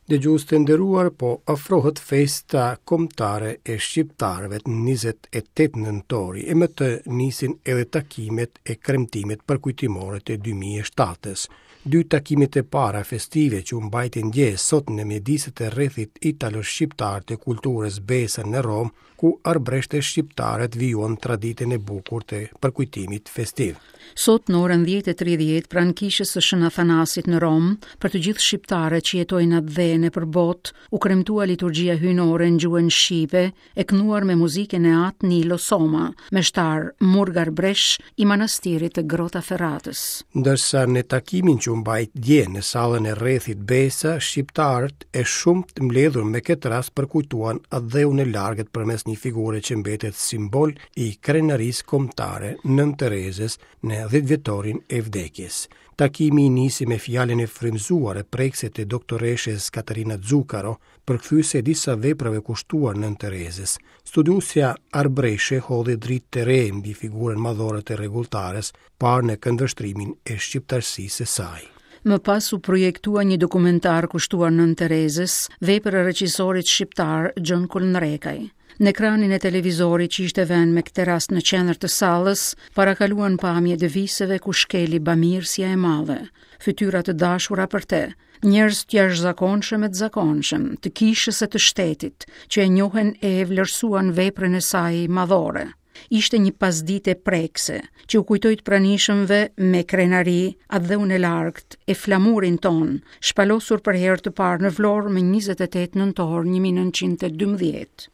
Dëgjues të nderuar, po afrohet festa kombëtare e shqiptarëve 28 nëntori, e me të nisin edhe takimet e kremtimet përkujtimore të 2007-ës. Dy takimet e para festive që u mbajtën dje sot në mjediset e rrethit italo-shqiptar të kulturës Besa në Romë, ku arbëreshët e shqiptarët vijuan traditën e bukur të përkujtimit festiv. Sot në orën 10:30 pranë kishës së Shën Athanasit në Romë, për të gjithë shqiptarët që jetojnë në atdhe e nëpër botë, u kremtua liturgjia hyjnore në gjuhën shqipe, e kënduar me muzikën e At Nilo Soma, meshtar murg arbëresh i manastirit të Grottaferratës. Ndërsa në takimin që u mbajt dje në sallën e rrethit Besa, shqiptarët e shumtë mbledhur me këtë rast përkujtuan atdheun e largët përmes një figure që mbetet simbol i krenarisë kombëtare Nënë Terezës në dhjetëvjetorin e vdekjes. Takimi nisi me fjalën e frymëzuar e prekëse të doktoreshës Katerina Zuccaro, përkthyese e disa veprave kushtuar Nënë Terezës. Studiuesja arbëreshe hodhi dritë të re mbi figurën madhore të rregulltares, parë në këndvështrimin e shqiptarësisë së saj. Më pas u projektua një dokumentar kushtuar Nënë Terezës, vepër e regjisorit shqiptar Gjon Kolnrekaj. Në ekranin e televizorit që ishte vënë me këtë rast në qendër të sallës, parakaluan pamje të viseve ku shkeli bamirësja e madhe, fytyra të dashura për të, njerëz të jashtëzakonshëm e të zakonshëm, të kishës e të shtetit, që e njohën e e vlerësuan veprën e saj madhore. Ishte një pasdite prekëse, që u kujtoi të pranishëmve me krenari atdheun e largët e flamurin tonë, shpalosur për herë të parë në Vlorë më 28 nëntor 1912.